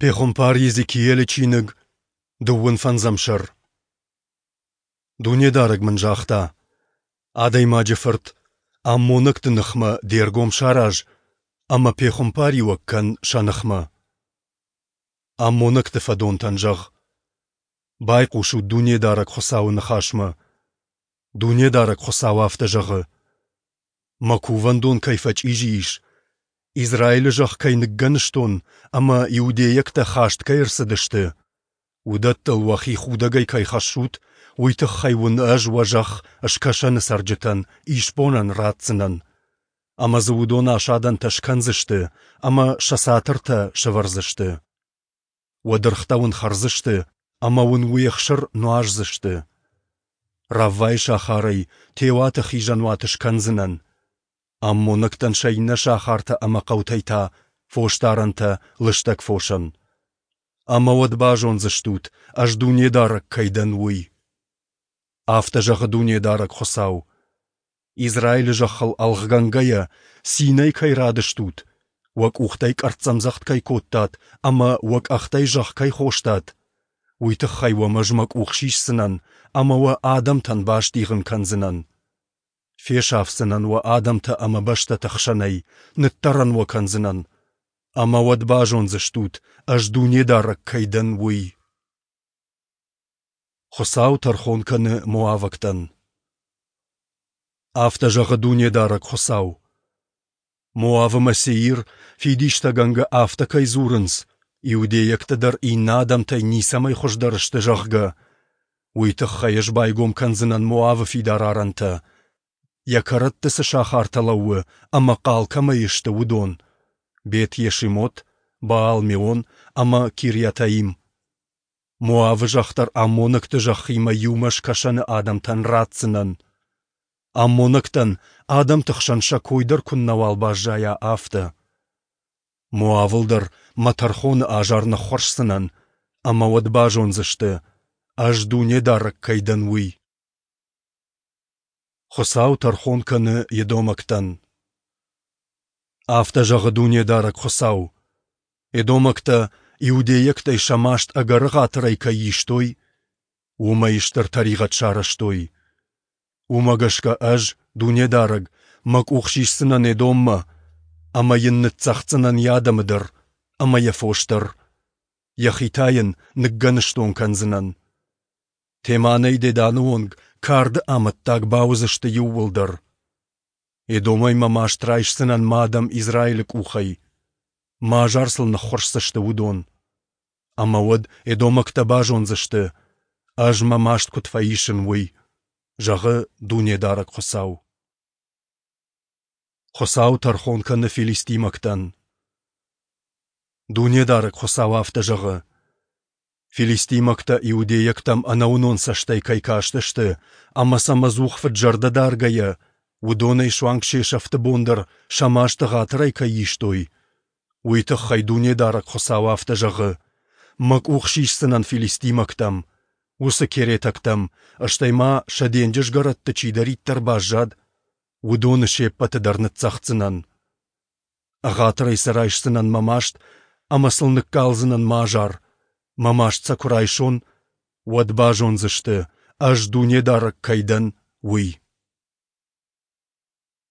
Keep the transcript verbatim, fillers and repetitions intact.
Пехуымпар Йезекиелы чиныг, дыууын фӕндзӕм сӕр. Дунедарӕг мын загъта: Адӕймаджы фырт, аммонӕгты ныхмӕ де ргом сараз ӕмӕ пехуымпариуӕг кӕн сӕ ныхмӕ. Аммонӕгты фӕдонтӕн зӕгъ: Байхъусут Дунедарӕг Хуыцауы ныхасмӕ. Дунедарӕг Хуыцау афтӕ зӕгъы: Мӕ Кувӕндон кӕй фӕчъизи ис, Израилы зӕхх кӕй ныггӕныстон ӕмӕ иудейӕгтӕ хаст кӕй ӕрцыдысты, уыдӕттыл уӕхи худӕгӕй кӕй хӕссут, уый тыххӕй уын Ӕз уӕ зӕхх Скӕсӕны цӕрджытӕн исбонӕн ратдзынӕн, ӕмӕ дзы уыдон асадӕнтӕ скӕндзысты ӕмӕ сӕ цатыртӕ сӕвӕрдзысты. Уӕ дыргътӕ уын хӕрдзысты ӕмӕ уын уе хсыр нуаздзысты. Раввайы сахарӕй теуаты хизӕнуат скӕндзынӕн, аммонӕгтӕн сӕ иннӕ сахартӕ ӕмӕ хъӕутӕй та фосдарӕнтӕ лыстӕг фосӕн. Ӕмӕ уӕд базондзыстут, Ӕз Дунедарӕг кӕй дӕн, уый. Афтӕ зӕгъы Дунедарӕг Хуыцау: Израилы зӕххыл ӕлгъгӕнгӕйӕ, цинӕй кӕй радыстут, уӕ къухтӕй къӕрццӕмдзӕгъд кӕй кодтат ӕмӕ уӕ къӕхтӕй зӕхх кӕй хостат, уый тыххӕй уӕм Ӕз мӕ къух сисдзынӕн ӕмӕ уӕ адӕмтӕн бастигъын кӕндзынӕн. Фесафдзынӕн уӕ адӕмтӕ ӕмӕ бӕстӕты хсӕнӕй, ныддӕрӕн уӕ кӕндзынӕн. Ӕмӕ уӕд базондзыстут, Ӕз Дунедарӕг кӕй дӕн, уый. Хуыцау тӕрхон кӕны моавӕгтӕн. Афтӕ зӕгъы Дунедарӕг Хуыцау: Моав ӕмӕ Сеир фидистӕгӕнгӕ афтӕ кӕй дзурынц, иудейӕгтӕ дӕр иннӕ адӕмтӕй ницӕмӕй хуыздӕр сты, зӕгъгӕ, уый тыххӕй Ӕз байгом кӕндзынӕн Моавы фидар арӕнтӕ, йӕ кӕрӕтты цы сахартӕ лӕууы ӕмӕ хъал кӕмӕй сты, уыдон: Бет-Йешимот, Баал-Меон ӕмӕ Кирйатаим. Моавы зӕхх дӕр аммонӕгты зӕххимӕ иумӕ скӕсӕны адӕмтӕн ратдзынӕн. Аммонӕгтӕн адӕмты хсӕн сӕ кой дӕр куыннӕуал баззайа, афтӕ. Моавыл дӕр мӕ тӕрхоны азар ныххуырсдзынӕн, ӕмӕ уӕд базондзысты, Ӕз Дунедарӕг кӕй дӕн, уый. Хуыцау тӕрхон кӕны едомӕгтӕн. Афтӕ зӕгъы Дунедарӕг Хуыцау: Едомӕгтӕ иудейӕгтӕй сӕ маст ӕгӕр ӕгъатырӕй кӕй истой, уымӕй стыр тӕригъӕд сарӕзтой. Уымӕ гӕсгӕ Ӕз, Дунедарӕг, мӕ къух сисдзынӕн Едоммӕ, ӕмӕ йын ныццӕгъддзынӕн йӕ адӕмы дӕр ӕмӕ йӕ фос дӕр, йӕхи та йын ныггӕныстон кӕндзынӕн. Теманӕй Деданы онг карды амӕттаг бауыдзысты иууылдӕр. Едомӕй мӕ маст райсдзынӕн мӕ адӕм Израилы къухӕй. Мӕ азар сыл ныххуырсдзысты уыдон. Ӕмӕ уӕд едомӕгтӕ базондзысты, Ӕз мӕ маст куыд фӕисын, уый, зӕгъы Дунедарӕг Хуыцау. Хуыцау тӕрхон кӕны филистимӕгтӕн. Дунедарӕг Хуыцау афтӕ зӕгъы: Филистимӕгтӕ иудейӕгтӕм ӕнӕуынон цӕстӕй кӕй кастысты ӕмӕ сӕм ӕдзух фыд-зӕрдӕ даргӕйӕ, уыдонӕй суанг се сӕфты бон дӕр сӕ маст ӕгъатырӕй кӕй истой, уый тыххӕй Дунедарӕг Хуыцау афтӕ зӕгъы: Мӕ къух сисдзынӕн филистимӕгтӕм, уыцы керетӕгтӕм, стӕй ма сӕ денджызгӕрӕтты чидӕриддӕр баззад, уыдоны се ппӕты дӕр ныццӕгъддзынӕн. Ӕгъатырӕй сӕ райсдзынӕн мӕ маст ӕмӕ сыл ныккалдзынӕн мӕ азар. Мӕ маст сӕ куы райсон, уӕд базондзысты, Ӕз Дунедарӕг кӕй дӕн, уый.